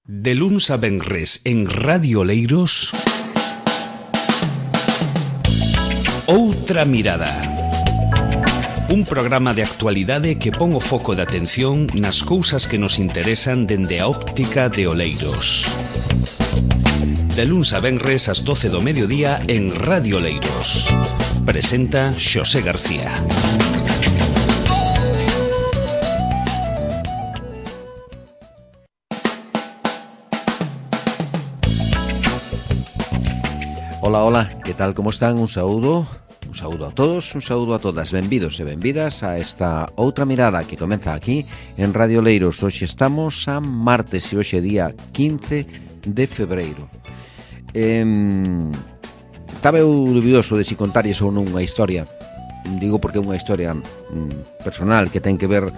De luns a venres en Radio Oleiros, Outra Mirada. Un programa de actualidade que pon o foco de atención nas cousas que nos interesan dende a óptica de Oleiros. De luns a venres ás 12 do mediodía en Radio Oleiros. Presenta Xosé García. Hola, hola, que tal, como están? Un saúdo a todos, un saúdo a todas. Benvidos e benvidas a esta Outra Mirada que comeza aquí en Radio Oleiros. Hoxe estamos a martes e hoxe día 15 de febreiro. Estaba eu dubidoso de si contaries ou non unha historia. Digo porque é unha historia personal que ten que ver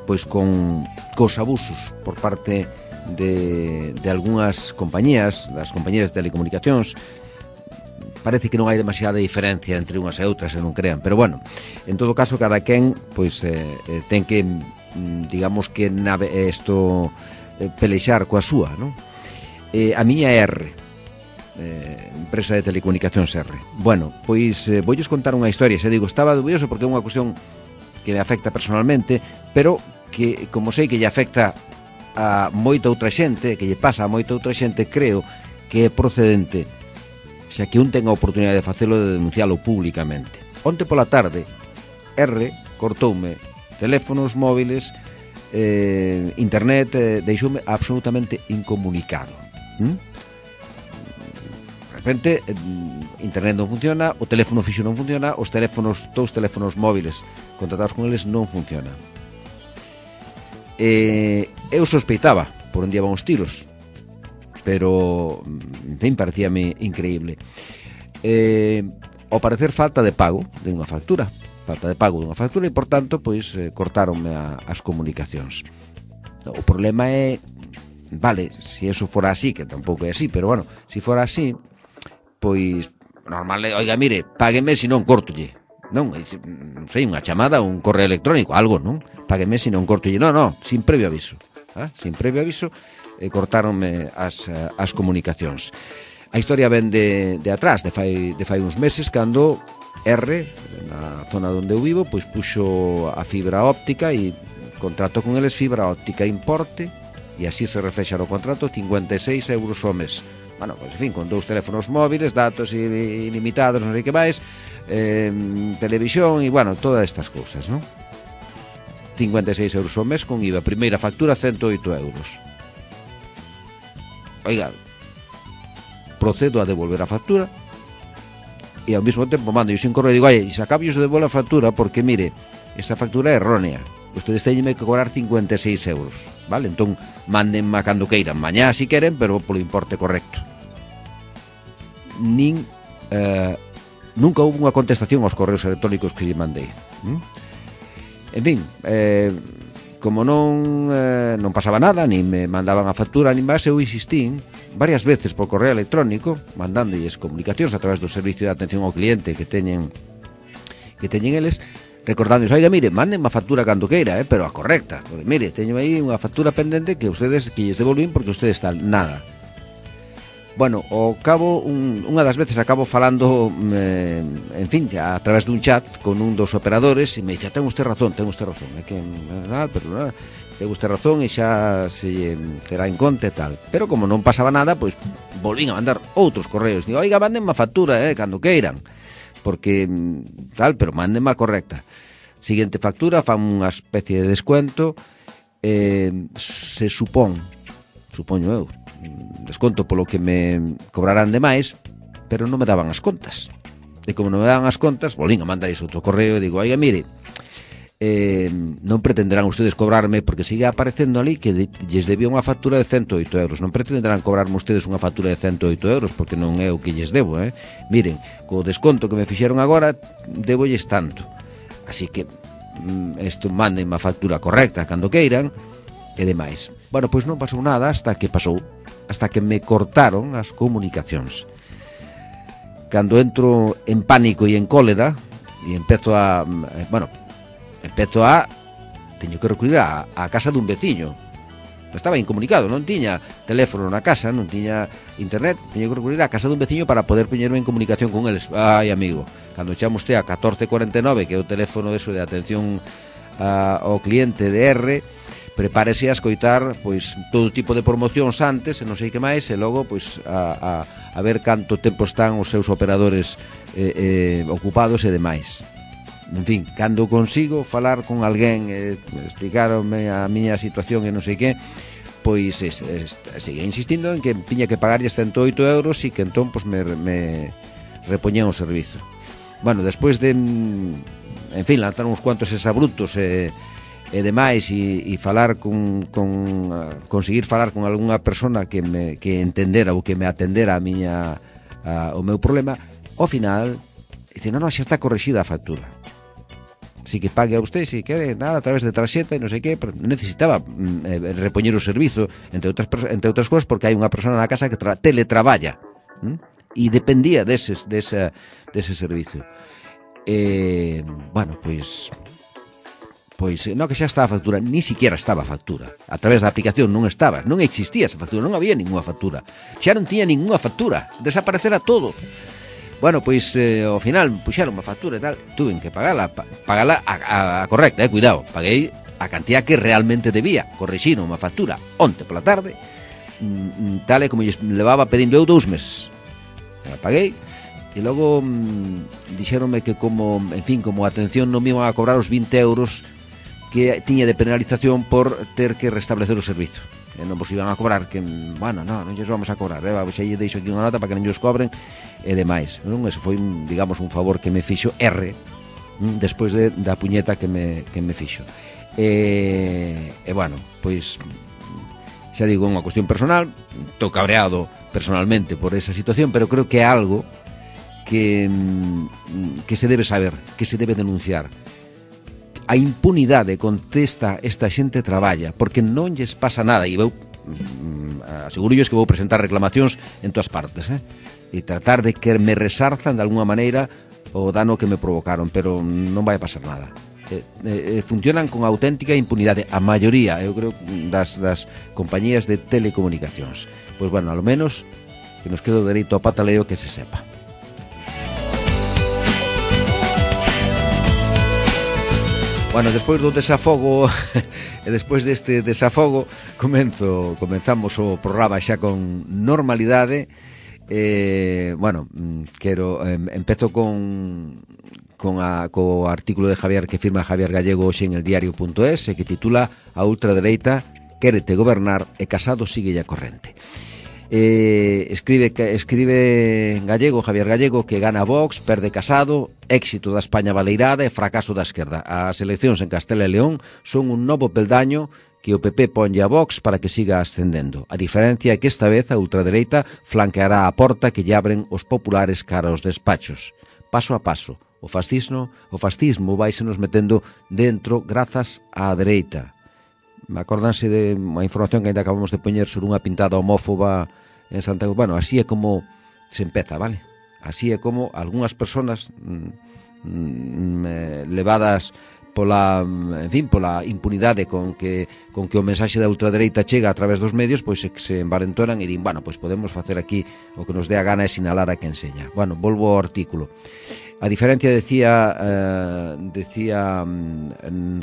pois con cos abusos por parte de algunhas compañías, das compañías de telecomunicacións. Parece que non hai demasiada diferencia entre unhas e outras, se non crean, pero bueno, en todo caso, cada quen pois ten que, digamos que pelexar coa súa, non? A miña R, empresa de telecomunicacións R. Bueno, pois voulles contar unha historia, se digo, estaba dubioso porque é unha cuestión que me afecta personalmente, pero que, como sei que lle afecta a moita outra xente, que lle pasa a moita outra xente, creo que é procedente, xa que un ten a oportunidade de facelo, de denuncialo públicamente. Onte pola tarde, R cortoume teléfonos móviles, internet, deixoume absolutamente incomunicado. De repente, internet non funciona, o teléfono fixo non funciona, os teléfonos, dous teléfonos móviles contratados con eles non funcionan. Eu sospeitaba por onde iban os tiros, pero, en fin, parecíame increíble. Ao parecer, falta de pago de unha factura, e, por tanto, pois, cortaronme as comunicacións. O problema é, vale, se eso fora así, que tampouco é así, pero, bueno, se fora así, pois, normal, oiga, mire, págueme, se non cortolle. Non sei, unha chamada, un correo electrónico, algo, non? Págueme, se non cortolle. Non, sin previo aviso. Sin previo aviso, cortaronme as comunicacións. A historia ven de atrás, de fai uns meses, cando R, na zona onde eu vivo, pois puxo a fibra óptica e contrato con eles fibra óptica importe, e así se reflexa no contrato, 56 euros ao mes. Bueno, pois, en fin, con dous teléfonos móviles, datos ilimitados, non sei que máis, televisión e, bueno, todas estas cousas, non? 56 euros ao mes con IVA. Primeira factura, 108 euros. Oiga, procedo a devolver a factura e ao mesmo tempo mando un correo e digo, oye, se acabo de devolver a factura porque, mire, esa factura é errónea, ustedes teñenme que cobrar 56 euros, vale? Entón, mándenme a cando queiran, mañá si queren, pero polo importe correcto. Nunca houve unha contestación aos correos electrónicos que lle mandei. En fin, como non pasaba nada, ni me mandaban a factura, ni máis, eu insistín varias veces por correo electrónico, mandándolles comunicacións a través do servicio de atención ao cliente que teñen eles, recordándoles, oiga, mire, mándenme a factura cando queira, pero a correcta, porque, mire, teño aí unha factura pendente que lles devolvín porque ustedes tal, nada. Bueno, ao cabo, unha das veces acabo falando, en fin, a través dun chat con un dos operadores e me dice, ten usted razón, é que, pero ten usted razón e xa se terá en conta e tal. Pero como non pasaba nada, pois volvín a mandar outros correos. Digo, oiga, mándenme a factura, cando queiran, porque tal, pero mándenme a correcta. Seguinte factura, fan unha especie de descuento, se supoño eu, desconto polo que me cobrarán de máis, pero non me daban as contas. E como non me daban as contas, volvín a mandar outro correo e digo, oiga, mire, non pretenderán ustedes cobrarme, porque sigue aparecendo ali que lles debía unha factura de 108 euros. Non pretenderán cobrarme ustedes unha factura de 108 euros, porque non é o que lles debo, Miren, co desconto que me fixeron agora, debólles tanto. Así que, mándenme a factura correcta cando queiran, e demais. Bueno, pois non pasou nada hasta que me cortaron as comunicacións. Cando entro en pánico e en cólera e teño que recurrir á casa dun veciño estaba incomunicado, non tiña teléfono na casa, non tiña internet, tiña que recurrir á casa dun veciño para poder poñerme en comunicación con eles. Ai, amigo, cando chamo usted a 1449, que é o teléfono eso de atención ao cliente de R, prepárese a escoitar pois todo tipo de promocións antes e non sei que máis, e logo pois a ver canto tempo están os seus operadores ocupados e demais. En fin, cando consigo falar con alguén, explicarme a miña situación e non sei que, pois sigue insistindo en que tiña que pagarlle 108 euros e que entón pois me repoñían o servizo. Bueno, despois de, en fin, lanzar uns cuantos exabrutos e demais e falar conseguir falar con algunha persona que entendera ou que me atendera o meu problema, ao final dice, non, xa está corrixida a factura. Si que pague a usted, si quere, nada, a través de tarxeta e non sei que, pero necesitaba repoñer o servizo, entre outras cousas, porque hai unha persona na casa que teletraballa e dependía dese servizo. Bueno, pois non, que xa estaba a factura, ni siquiera estaba a factura. A través da aplicación non existía esa factura, non había ninguna factura. Xa non tiña ninguna factura, desaparecera todo. Bueno, pois ao final puxeron unha factura e tal, tuven que pagala a correcta, cuidado, paguei a cantidad que realmente debía, corrixiron unha factura onte pola tarde, tal e como lles levaba pedindo eu 2 meses. La paguei e logo dixéronme que como atención non me iban a cobrar os 20 euros que tiña de penalización por ter que restablecer o servizo. E non vos iban a cobrar, que, bueno, non lles vamos a cobrar, xa lle deixo aquí unha nota para que non lles cobren e demais. Non, ese foi, digamos, un favor que me fixo R despois da puñeta que me fixo. E bueno, pois xa digo, unha cuestión personal, estou cabreado personalmente por esa situación, pero creo que é algo que se debe saber, que se debe denunciar. A impunidade con esta xente traballa, porque non lles pasa nada, e vou aseguro que vou presentar reclamacións en todas partes, e tratar de que me resarzan de alguna maneira o dano que me provocaron, pero non vai a pasar nada. Funcionan con auténtica impunidade a maioría, eu creo, das compañías de telecomunicacións. Pois bueno, ao menos que nos quede o dereito ao pataleo, que se sepa. Bueno, despois do desafogo e despois deste desafogo comenzamos o programa xa con normalidade. Bueno, empezo co artículo de Javier que firma Javier Gallego hoxe en el diario.es e que titula A ultradereita quérete gobernar e Casado sigue a corrente. Escribe Javier Gallego, que gana Vox, perde Casado, éxito da España baleirada e fracaso da esquerda. As eleccións en Castela e León son un novo peldaño que o PP ponlle a Vox para que siga ascendendo. A diferencia é que esta vez a ultradereita flanqueará a porta que lle abren os populares cara aos despachos. Paso a paso, o fascismo vaise nos metendo dentro grazas á dereita. Acórdanse de unha información que ainda acabamos de poñer sobre unha pintada homófoba en Santiago. Bueno, así é como se empeza, vale? Así é como algunhas persoas levadas pola impunidade con que o mensaxe da ultradereita chega a través dos medios, pois se envalentonan e din, bueno, pois podemos facer aquí o que nos dé a gana e sinalar a quen seña. Bueno, volvo ao artículo. A diferencia, decía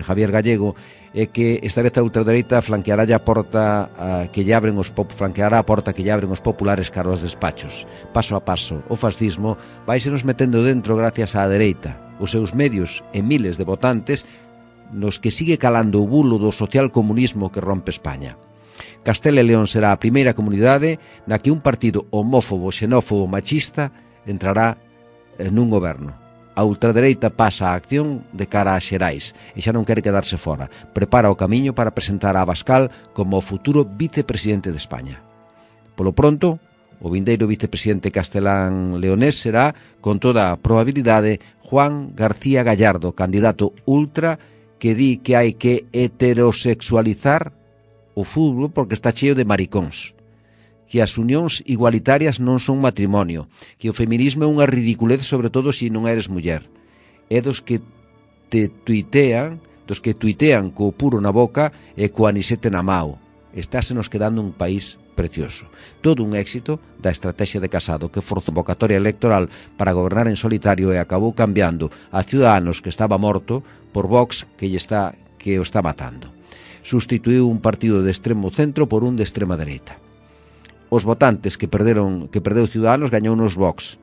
Javier Gallego, é que esta vez a ultradereita flanqueará a porta que lle abren os populares cara aos despachos. Paso a paso, o fascismo vaise nos metendo dentro gracias á dereita, os seus medios e miles de votantes nos que sigue calando o bulo do socialcomunismo que rompe España. Castela e León será a primeira comunidade na que un partido homófobo, xenófobo, machista entrará nun goberno. A ultradereita pasa a acción de cara a Xerais e xa non quere quedarse fora. Prepara o camiño para presentar a Abascal como o futuro vicepresidente de España. Polo pronto, o vindeiro vicepresidente castelán-leonés será, con toda a probabilidade, Juan García Gallardo, candidato ultra que di que hai que heterosexualizar o fútbol porque está cheo de maricóns, que as unións igualitarias non son matrimonio, que o feminismo é unha ridiculez, sobre todo se non eres muller. É dos que tuitean co puro na boca e co anisete na mao. estásenos quedando un país precioso. Todo un éxito da estrategia de Casado, que forzou convocatoria electoral para gobernar en solitario e acabou cambiando a Ciudadanos, que estaba morto, por Vox, que o está matando. Sustituiu un partido de extremo centro por un de extrema dereita. Os votantes que perdeu Ciudadanos gañou nos Vox.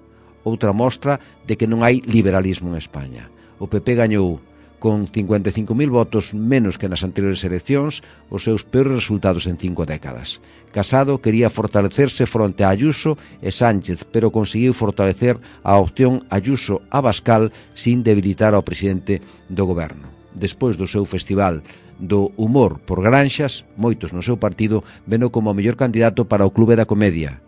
Outra mostra de que non hai liberalismo en España. O PP gañou con 55.000 votos menos que nas anteriores eleccións, os seus peores resultados en 5 décadas. Casado quería fortalecerse fronte a Ayuso e Sánchez, pero conseguiu fortalecer a opción Ayuso-Abascal sin debilitar ao presidente do goberno. Despois do seu festival do humor por granxas, moitos no seu partido veno como o mellor candidato para o Clube da Comedia.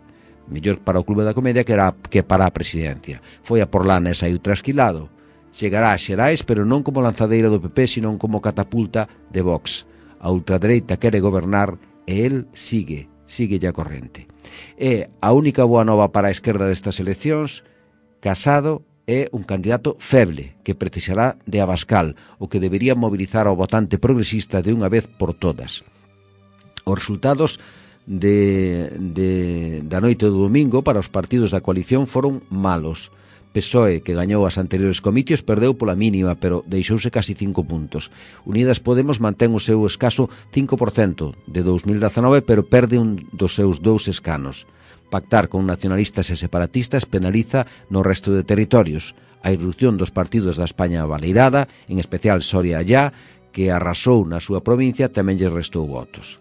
Mellor para o Clube da Comedia que para a presidencia. Foi a Porlana e saiu trasquilado. Chegará a Xerais, pero non como lanzadeira do PP, senón como catapulta de Vox. A ultradereita quere gobernar e el sigue a corrente. E a única boa nova para a esquerda destas eleccións, Casado é un candidato feble que precisará de Abascal, o que debería mobilizar ao votante progresista de unha vez por todas. Os resultados da noite do domingo para os partidos da coalición foron malos. PSOE, que gañou as anteriores comicios, perdeu pola mínima, pero deixouse casi 5 puntos. Unidas Podemos mantén o seu escaso 5% de 2019, pero perde un dos seus 2 escanos. Pactar con nacionalistas e separatistas penaliza no resto de territorios. A irrupción dos partidos da España baleirada, en especial Soria Allá, que arrasou na súa provincia, tamén lle restou votos.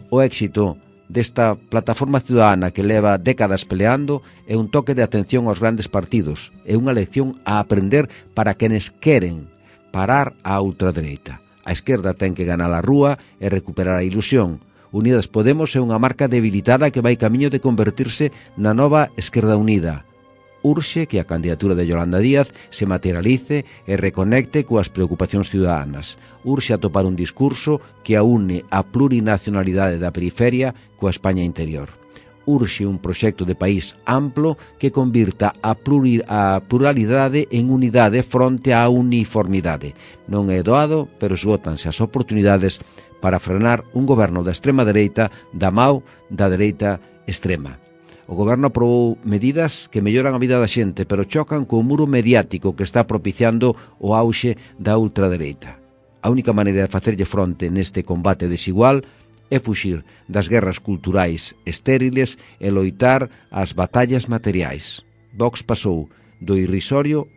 O éxito desta plataforma ciudadana que leva décadas peleando é un toque de atención aos grandes partidos, é unha lección a aprender para quenes queren parar a ultradereita. A esquerda ten que ganar a rúa e recuperar a ilusión. Unidas Podemos é unha marca debilitada que vai camiño de convertirse na nova Esquerda Unida. Urxe que a candidatura de Yolanda Díaz se materialice e reconecte coas preocupacións ciudadanas. Urxe atopar un discurso que aúne a plurinacionalidade da periferia coa España interior. Urxe un proxecto de país amplo que convirta a pluralidade en unidade fronte á uniformidade. Non é doado, pero esgótanse as oportunidades para frenar un goberno da extrema dereita da mao da dereita extrema. O goberno aprobou medidas que melloran a vida da xente, pero chocan co muro mediático que está propiciando o auxe da ultradereita. A única maneira de facerlle fronte neste combate desigual é fuxir das guerras culturais estériles e loitar as batallas materiais. Vox pasou de irrisorio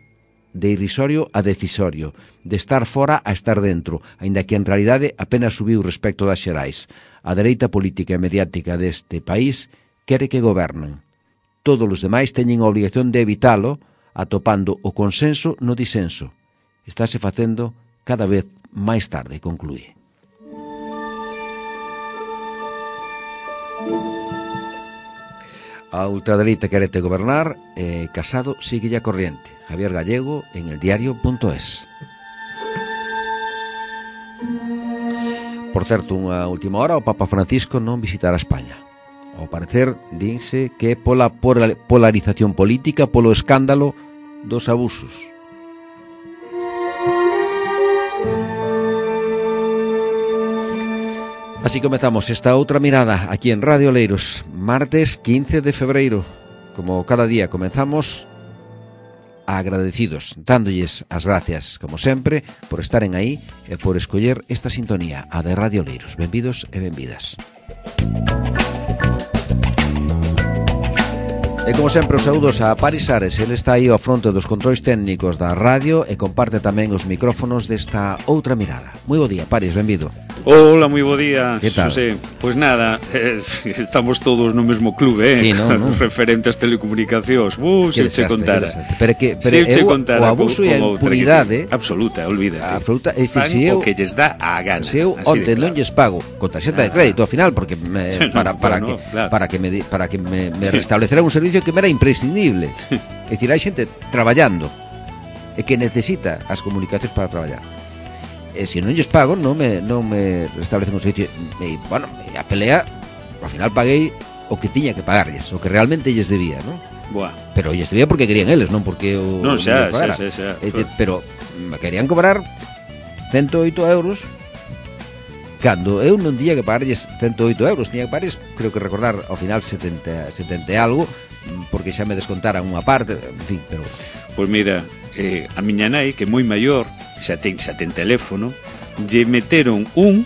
a decisorio, de estar fora a estar dentro, aínda que en realidade apenas subiu respecto das Xerais. A dereita política e mediática deste país quere que gobernen. Todos os demais teñen a obrigación de evitalo, atopando o consenso no disenso. Estáse facendo cada vez máis tarde, conclúe. A ultradereita querete gobernar e Casado sigue a corriente. Javier Gallego en eldiario.es. Por certo, unha última hora, o Papa Francisco non visitará España. Ao parecer, dinse que pola polarización política, polo escándalo dos abusos. Así comezamos esta outra mirada aquí en Radio Oleiros, martes 15 de febreiro. Como cada día comenzamos agradecidos, dándolles as gracias, como sempre, por estaren aí e por escoller esta sintonía, a de Radio Oleiros. Benvidos e benvidas. E como sempre os saúdos a Paris Ares, ele está aí ao fronte dos controis técnicos da radio e comparte tamén os micrófonos desta outra mirada. Moi bo día, Paris, benvido. Hola, moi bo día, que tal? Xosé. Pois nada, estamos todos no mesmo clube, sí, no. Referente ás telecomunicacións. Se che contara. Pero o abuso e a impunidade absoluta, olvídate. Absoluta, é dicir, se eu o que lles dá a gana. Se eu onte non lles pago con tarxeta de crédito ao final porque para que me restablecerá un servicio que me era imprescindible. É dicir, hai xente traballando e que necesita as comunicacións para traballar. E se non lles pago, non me restablecen un servicio. E, bueno, a pelea, ao final paguei o que tiña que pagarlles, o que realmente lles debía, non? Buah. Pero lles debía porque querían eles, non porque o non xa. Pero me querían cobrar 108 euros cando eu non tiña que pagarlles 108 euros, tiña que pagarlles, creo que recordar, ao final 70 e algo, porque xa me descontaran unha parte, en fin, pero... Pois mira, a miña nai, que é moi maior, xa ten teléfono, lle meteron un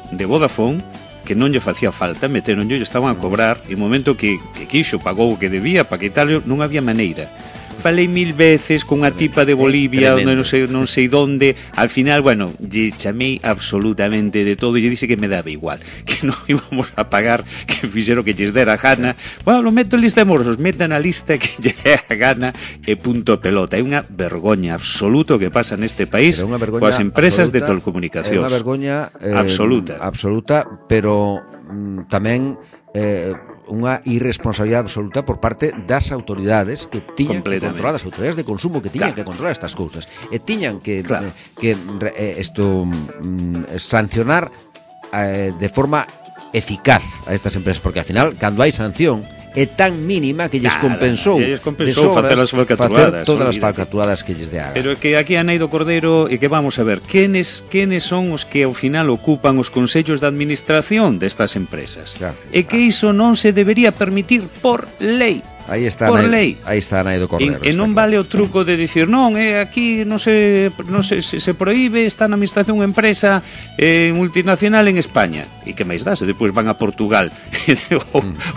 de Vodafone que non lle facía falta, meteronlle, estaban a cobrar, e no momento que quixo, pagou o que debía, para quitarlo, non había maneira. Falei 1000 veces con unha tipa de Bolivia, onde non sei donde, al final, bueno, lle chamei absolutamente de todo, e lle dixe que me daba igual, que non íbamos a pagar, que fixero que lles dera gana. Bueno, lo meto en lista de morosos, metan a lista que lle dé a gana, e punto pelota. É unha vergoña absoluta que pasa neste país coas empresas de telecomunicacións. É unha vergoña absoluta, pero tamén unha irresponsabilidade absoluta por parte das autoridades que tiñan que controlar, as autoridades de consumo que tiñan que controlar estas cousas e tiñan que sancionar de forma eficaz a estas empresas, porque ao final, cando hai sanción, é tan mínima que lles compensou de sobras facer todas as falcatruadas que lles dea. Pero que aquí a Naido Cordero, e que vamos a ver, quenes son os que ao final ocupan os consellos de administración destas empresas? Claro, e que iso non se debería permitir por lei. Aí está Naido Cordero. E non vale o truco de dicir non, aquí non se proíbe, está na administración unha empresa multinacional en España. E que máis dá? Se depois van a Portugal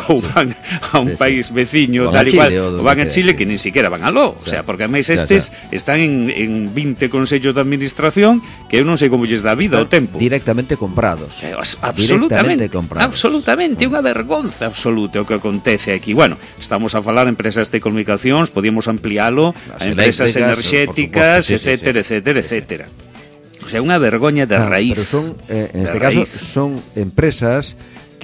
ou van a un país veciño, tal igual, ou van a Chile, que nin siquiera van aló. O sea, porque máis estes están en 20 consellos de administración que eu non sei como lles dá vida o tempo. Directamente comprados. Absolutamente, unha vergonza absoluta o que acontece aquí. Bueno, estamos a falar de empresas de comunicacións, podíamos ampliálo a empresas enerxéticas, etcétera. O sea, unha vergoña de raíz. Pero son, en este caso, son empresas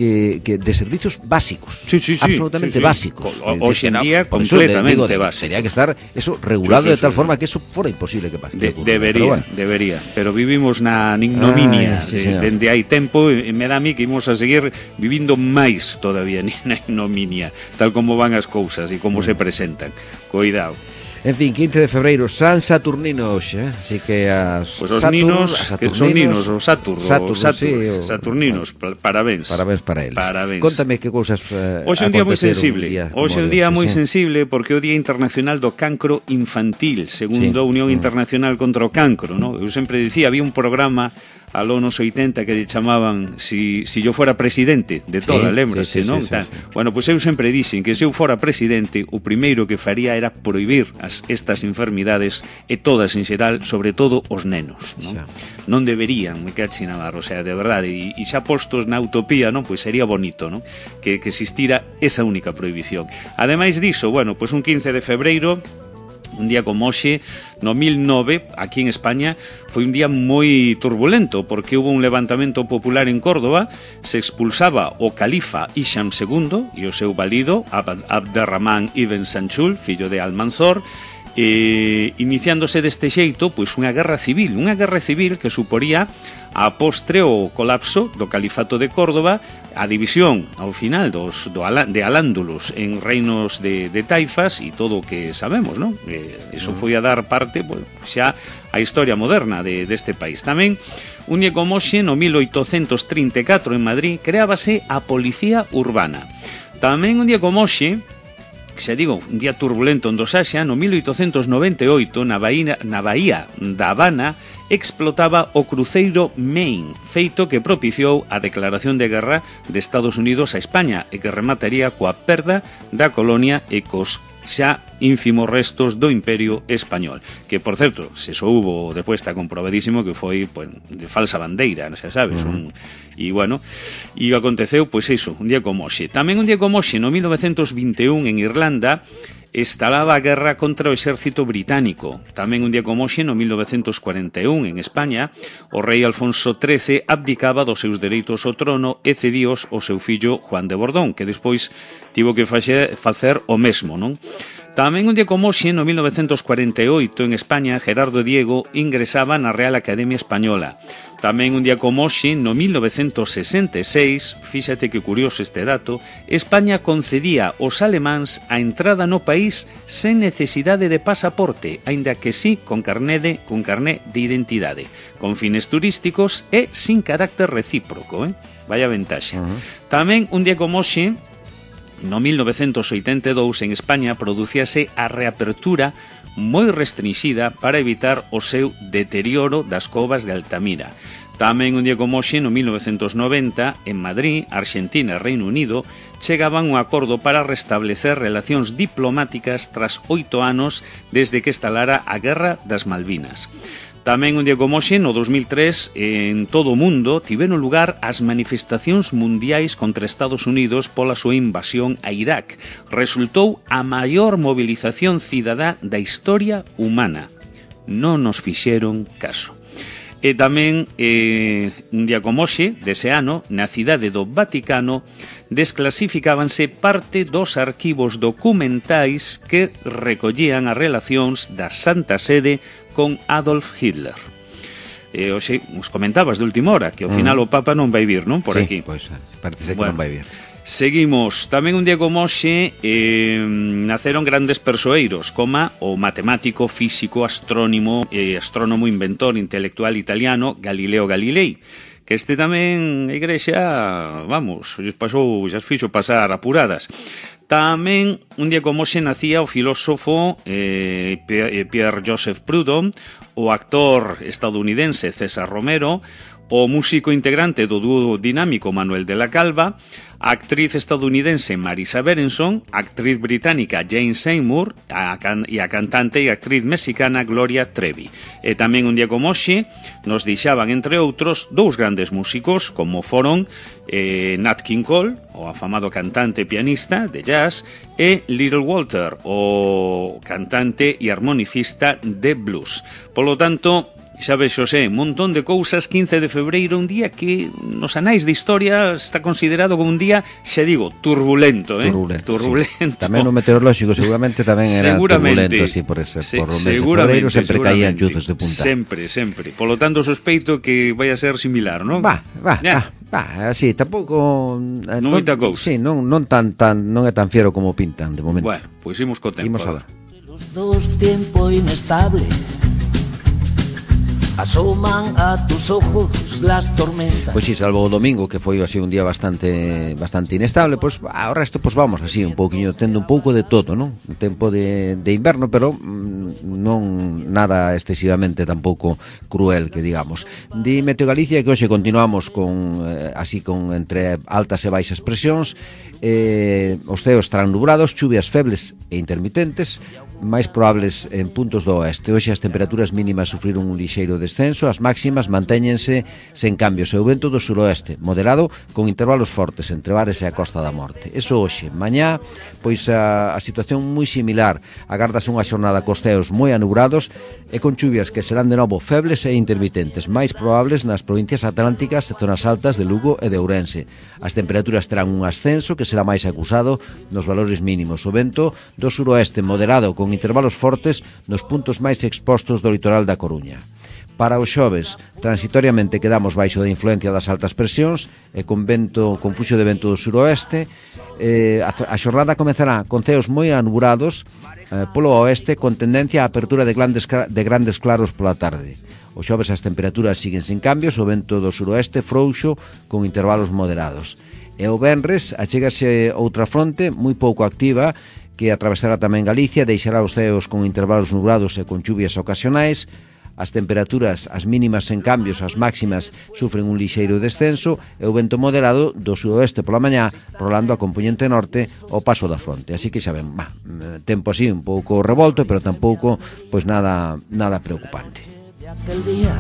que de servicios básicos, absolutamente básicos. Hoxe en día completamente básicos. Tenía que estar eso regulado de tal forma que eso fora imposible que pase. Debería, pero vivimos na ignominia dende hai tempo, e me dá a mí que imos a seguir vivindo máis todavía na ignominia, tal como van as cousas e como se presentan. Cuidado. En fin, 15 de febreiro, San Saturnino hoxe, así que os ninos, que son ninos, o Saturninos, parabéns. Parabéns para eles. Contame que cousas hoxe é un día moi sensible. Hoxe é un día moi sensible porque é o Día Internacional do Cancro Infantil, segundo a Unión Internacional contra o Cancro, ¿no? Eu sempre dicía, había un programa aló nos 80 que lle chamaban si yo fuera presidente de toda, lembrase, non? Bueno, pois eu sempre dixen que se eu fora presidente, o primeiro que faría era prohibir estas enfermidades e todas en xeral, sobre todo os nenos, non? Non deberían, me cache na barra, o sea, de verdade, e xa postos na utopía, non? Pois sería bonito, non? Que existira esa única prohibición. Ademais diso, bueno, pois un 15 de febreiro, un día como hoxe, no 1009, aquí en España, foi un día moi turbulento, porque hubo un levantamento popular en Córdoba, se expulsaba o califa Hisham II e o seu valido, Abderramán ibn Sanchul, fillo de Almanzor, iniciándose deste xeito pois unha guerra civil que suporía a postre o colapso do califato de Córdoba, a división ao final de Al-Ándalus en reinos de taifas e todo o que sabemos, non? Eso foi a dar parte pois, xa a historia moderna deste país. Tamén, un día como hoxe, no 1834 en Madrid, creábase a Policía Urbana. Tamén un día como hoxe, xa digo, un día turbulento en Dosaxa, no 1898, na Bahía da Habana, explotaba o cruceiro Maine, feito que propiciou a declaración de guerra de Estados Unidos a España e que remataría coa perda da colonia e cos xa ínfimos restos do Imperio Español, que, por certo, se soubo despois está comprobadísimo que foi pues, de falsa bandeira, xa sabes, e bueno, e aconteceu, pois iso, un día como hoxe. Tamén un día como hoxe, no 1921, en Irlanda, estalaba a guerra contra o exército británico. Tamén un día como hoxe, no 1941, en España, o rei Alfonso XIII abdicaba dos seus dereitos ao trono e cedíos ao seu fillo Juan de Borbón, que despois tivo que facer o mesmo, non? Tamén un día como hoxe, no 1948, en España, Gerardo Diego ingresaba na Real Academia Española. Tamén un día como hoxe, no 1966, fíxate que curioso este dato, España concedía aos alemáns a entrada no país sen necesidade de pasaporte, aínda que sí con carné de identidade, con fines turísticos e sin carácter recíproco, Vaya ventaxe. Tamén un día como hoxe, no 1982, en España, producíase a reapertura moi restringida para evitar o seu deterioro das covas de Altamira. Tamén un día como hoxe, no 1990, en Madrid, Argentina e Reino Unido, chegaban un acordo para restablecer relacións diplomáticas tras 8 anos desde que estalara a Guerra das Malvinas. Tamén un día como hoxe, no 2003, en todo o mundo tiveron lugar as manifestacións mundiais contra Estados Unidos pola súa invasión a Irak. Resultou a maior movilización cidadá da historia humana. Non nos fixeron caso. E tamén, un día como hoxe, dese ano, na cidade do Vaticano, desclasificábanse parte dos arquivos documentais que recollían as relacións da Santa Sede con Adolf Hitler. Hoxe, os comentabas de última hora que ao final o Papa non vai vir, non? Por sí, aquí. Pois, parece que non vai vir. Seguimos. Tamén un día como hoxe naceron grandes persoeiros, como o matemático, físico, astrónomo, inventor, intelectual italiano Galileo Galilei, que este tamén a Igrexa, vamos, xa fixo pasar apuradas. Tamén un día como hoxe nacía o filósofo Pierre-Joseph Proudhon, o actor estadounidense César Romero, o músico integrante do dúo dinámico Manuel de la Calva, a actriz estadounidense Marisa Berenson, a actriz británica Jane Seymour e a cantante e actriz mexicana Gloria Trevi. E tamén un día como hoxe nos deixaban, entre outros, dous grandes músicos, como foron Nat King Cole, o afamado cantante e pianista de jazz, e Little Walter, o cantante e armonicista de blues. Polo tanto, xa ves, Xosé, un montón de cousas. 15 de febreiro, un día que nos anais de historia está considerado como un día, xa digo, turbulento, Turbulento. Sí. Tamén o meteorolóxico seguramente tamén era turbulento, así, por ese, por o mes de febreiro sempre caían chuzos de punta. Sempre. Polo tanto, sospeito que vai a ser similar, non? Así, tampouco non moita cousa. Sí, non é tan fiero como pintan de momento. Bueno, pois imos co tempo. Imos a ver. Los dos tiempo inestable asoman a tus ojos las tormentas. Pois si, salvo o domingo, que foi así un día bastante inestable, pois ao resto pois vamos así un pouquiño tendo un pouco de todo, non? Un tempo de inverno, pero non nada excesivamente tampouco cruel, que digamos. Di Meteo Galicia que hoxe continuamos con entre altas e baixas presións, os ceos estarán nubrados, chuvias febles e intermitentes, máis probables en puntos do oeste. Hoxe as temperaturas mínimas sufriron un lixeiro descenso, as máximas mantéñense sen cambios e o vento do suroeste, moderado con intervalos fortes entre Bares e a Costa da Morte. Eso hoxe. Mañá, pois a situación moi similar. Agardase unha xornada cos ceos moi anubrados e con chuvias que serán de novo febles e intermitentes, máis probables nas provincias atlánticas e zonas altas de Lugo e de Ourense. As temperaturas terán un ascenso que será máis acusado nos valores mínimos. O vento do suroeste moderado con intervalos fortes nos puntos máis expostos do litoral da Coruña. Para o xoves, transitoriamente quedamos baixo da influencia das altas presións e con fluxo de vento do suroeste. A xornada comezará con ceos moi anuburados polo oeste, con tendencia á apertura de grandes claros pola tarde. O xoves as temperaturas siguen sen cambios, o vento do suroeste frouxo con intervalos moderados. E o venres achégase outra fronte moi pouco activa que atravesará tamén Galicia, deixará os ceos con intervalos nublados e con chuvias ocasionais. As temperaturas, as mínimas en cambios, as máximas sufren un lixeiro descenso e o vento moderado do sudoeste pola mañá rolando a compoñente norte ao paso da fronte. Así que xa ven, tempo así un pouco revolto, pero tampouco pois nada preocupante. De aquel día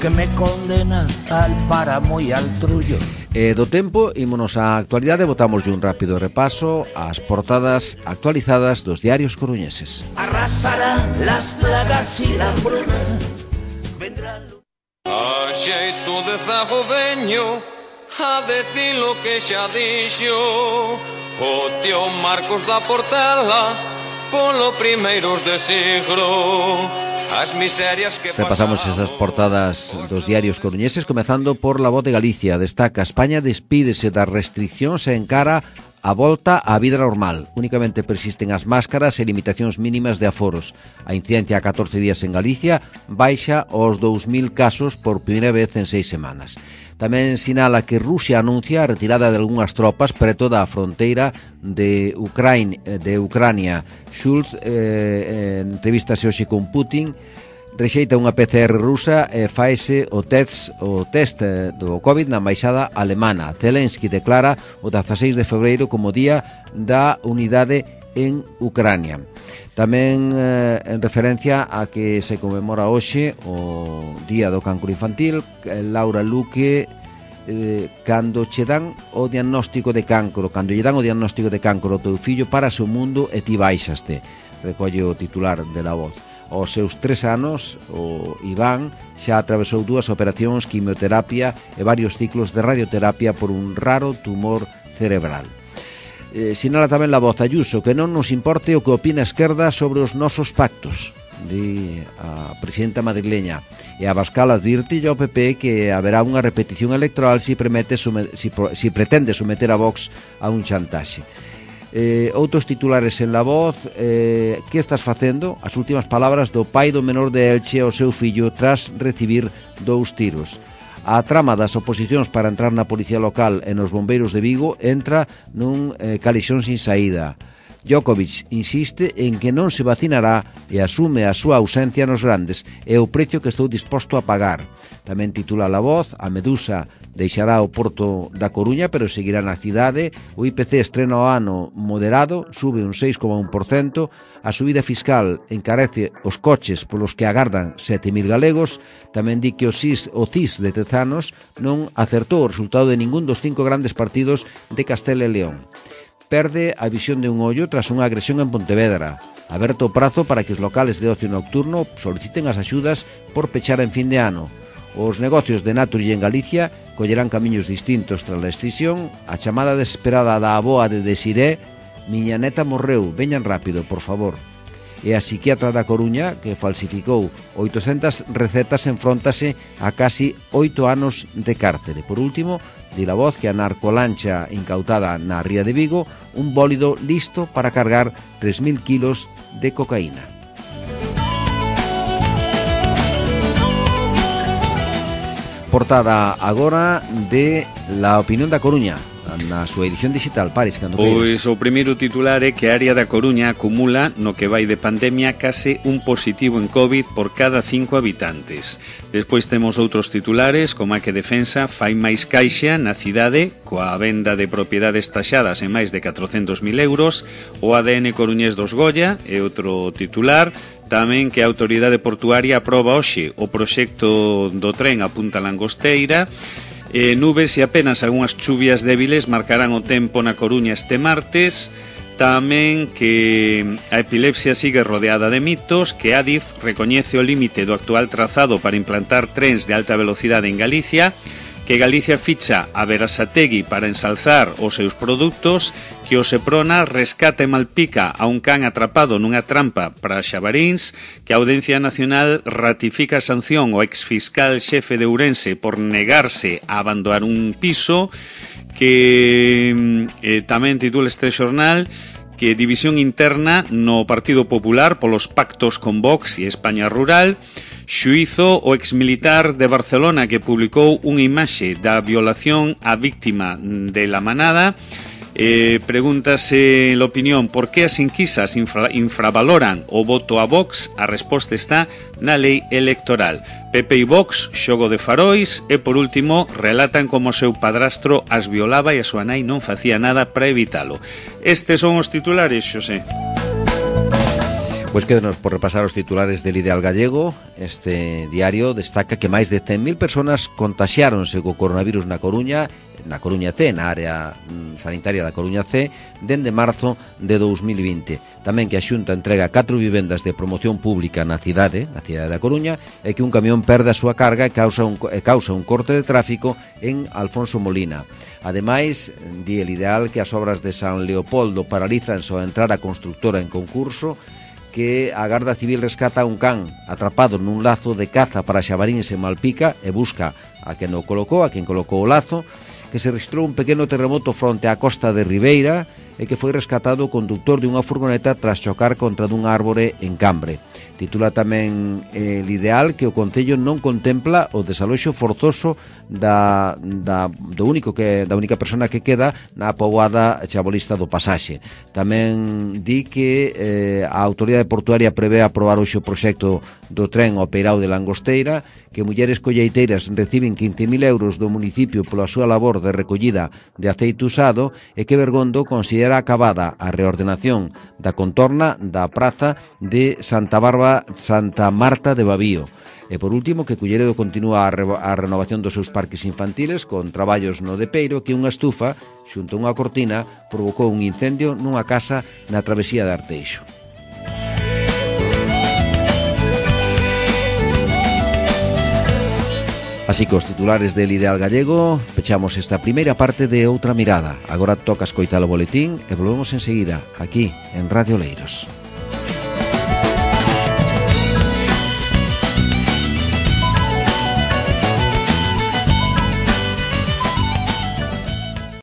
que me condena al páramo e al trullo. Do tempo, ímonos á actualidade, botamos un rápido repaso ás portadas actualizadas dos diarios coruñeses. Arrasarán las plagas y la hambruna. A xeito de zago veño a decir lo que xa dixo o tío Marcos da Portela polo primeiros de siglo. As miserias que repasamos esas portadas dos diarios coruñeses, comezando por La Voz de Galicia. Destaca: España despídese das restriccións e encara a volta á vida normal. Únicamente persisten as máscaras e limitacións mínimas de aforos. A incidencia a 14 días en Galicia baixa aos 2.000 casos por primeira vez en 6 semanas. Tamén sinala que Rusia anuncia a retirada de algunhas tropas preto da fronteira de Ucrania. Schulz entrevistase hoxe con Putin, rexeita unha PCR rusa e faese o test do COVID na embaixada alemana. Zelensky declara o 16 de febreiro como Día da Unidade en Ucrania. Tamén en referencia a que se conmemora hoxe o Día do Cancro Infantil, Laura Luque, cando che dan o diagnóstico de cancro, cando lle dan o diagnóstico de cancro ao teu fillo, parase o mundo e ti baixaste, recolle o titular de La Voz. Aos seus 3 anos, o Iván xa atravesou 2 operacións, quimioterapia e varios ciclos de radioterapia por un raro tumor cerebral. Sinala tamén La Voz Ayuso que non nos importe o que opina a esquerda sobre os nosos pactos, di a presidenta madrileña. E a Abascal advirte ao PP que haberá unha repetición electoral si pretende someter a Vox a un chantaxe. Outros titulares en La Voz. Que estás facendo? As últimas palabras do pai do menor de Elche ao seu fillo tras recibir 2 tiros. A trama das oposicións para entrar na policía local e nos bombeiros de Vigo entra nun calixón sin saída. Djokovic insiste en que non se vacinará e asume a súa ausencia nos grandes e o precio que estou disposto a pagar. Tamén titula La Voz: a Medusa deixará o porto da Coruña, pero seguirá na cidade. O IPC estrena o ano moderado, sube un 6,1%. A subida fiscal encarece os coches polos que agardan 7.000 galegos. Tamén di que o CIS de Tezanos non acertou o resultado de ningún dos 5 grandes partidos de Castela e León. Perde a visión de un ollo tras unha agresión en Pontevedra. Aberto o prazo para que os locales de ocio nocturno soliciten as axudas por pechar en fin de ano. Os negocios de Naturgy en Galicia collerán camiños distintos tras a escisión. A chamada desesperada da avoa de Desiré: miña neta morreu, veñan rápido, por favor. E a psiquiatra da Coruña, que falsificou 800 recetas, enfróntase a casi 8 anos de cárcere. Por último, di La Voz que a narcolancha incautada na ría de Vigo, un bólido listo para cargar 3.000 kilos de cocaína. Portada agora de La Opinión da Coruña, na súa edición digital. Paris, cando queiras. Pois o primeiro titular é que a área da Coruña acumula, no que vai de pandemia, case un positivo en COVID por cada 5 habitantes. Despois temos outros titulares, como a que Defensa fai máis caixa na cidade coa venda de propiedades taxadas en máis de 400.000 euros. O ADN coruñés dos Goya é outro titular. Tamén que a autoridade portuaria aproba hoxe o proxecto do tren a Punta Langosteira. Nubes e apenas algunhas chuvias débiles marcarán o tempo na Coruña este martes. Tamén que a epilepsia sigue rodeada de mitos, que Adif recoñece o límite do actual trazado para implantar trens de alta velocidade en Galicia, que Galicia ficha a Berasategui para ensalzar os seus produtos, que o Seprona rescata e malpica a un can atrapado nunha trampa para xabaríns, que a Audiencia Nacional ratifica a sanción ao exfiscal xefe de Ourense por negarse a abandonar un piso, que tamén titula este xornal que división interna no Partido Popular polos pactos con Vox e España Rural. Xuízo o exmilitar de Barcelona que publicou unha imaxe da violación á víctima de La Manada. Pregúntase la opinión por que as enquisas infravaloran o voto a Vox. A resposta está na lei electoral. PP e Vox, xogo de farois. E por último, relatan como o seu padrastro as violaba e a súa nai non facía nada para evitalo. Estes son os titulares, Xosé. Pois quédenos por repasar os titulares del Ideal Gallego. Este diario destaca que máis de 100.000 personas contaxiáronse co coronavirus na Coruña C, na área sanitaria da Coruña C, dende marzo de 2020. Tamén que a Xunta entrega 4 vivendas de promoción pública na cidade da Coruña, e que un camión perde a súa carga e causa un corte de tráfico en Alfonso Molina. Ademais, di el Ideal que as obras de San Leopoldo paralizan ao entrar a constructora en concurso, que a Garda Civil rescata un can atrapado nun lazo de caza para xabaríns en Malpica e busca a quen colocou o lazo, que se registrou un pequeno terremoto fronte á costa de Ribeira e que foi rescatado o conductor de unha furgoneta tras chocar contra dun árbore en Cambre. Titula tamén el Ideal que o Concello non contempla o desaloxo forzoso da única persona que queda na poboada chabolista do Pasaxe. Tamén di que a Autoridade Portuaria prevé aprobar hoxe o proxecto do tren ao Peirao de Langosteira, que mulleres colleiteiras reciben 15.000 euros do municipio pola súa labor de recollida de aceite usado, e que Bergondo considera acabada a reordenación da contorna da praza de Santa Marta de Babío. E por último, que Culleredo continúa a renovación dos seus parques infantiles con traballos no de Peiro, que unha estufa xunto a unha cortina provocou un incendio nunha casa na travesía de Arteixo. Así que os titulares del Ideal Gallego pechamos esta primeira parte de Outra Mirada. Agora toca escoitar o boletín e volvemos enseguida aquí en Radio Oleiros.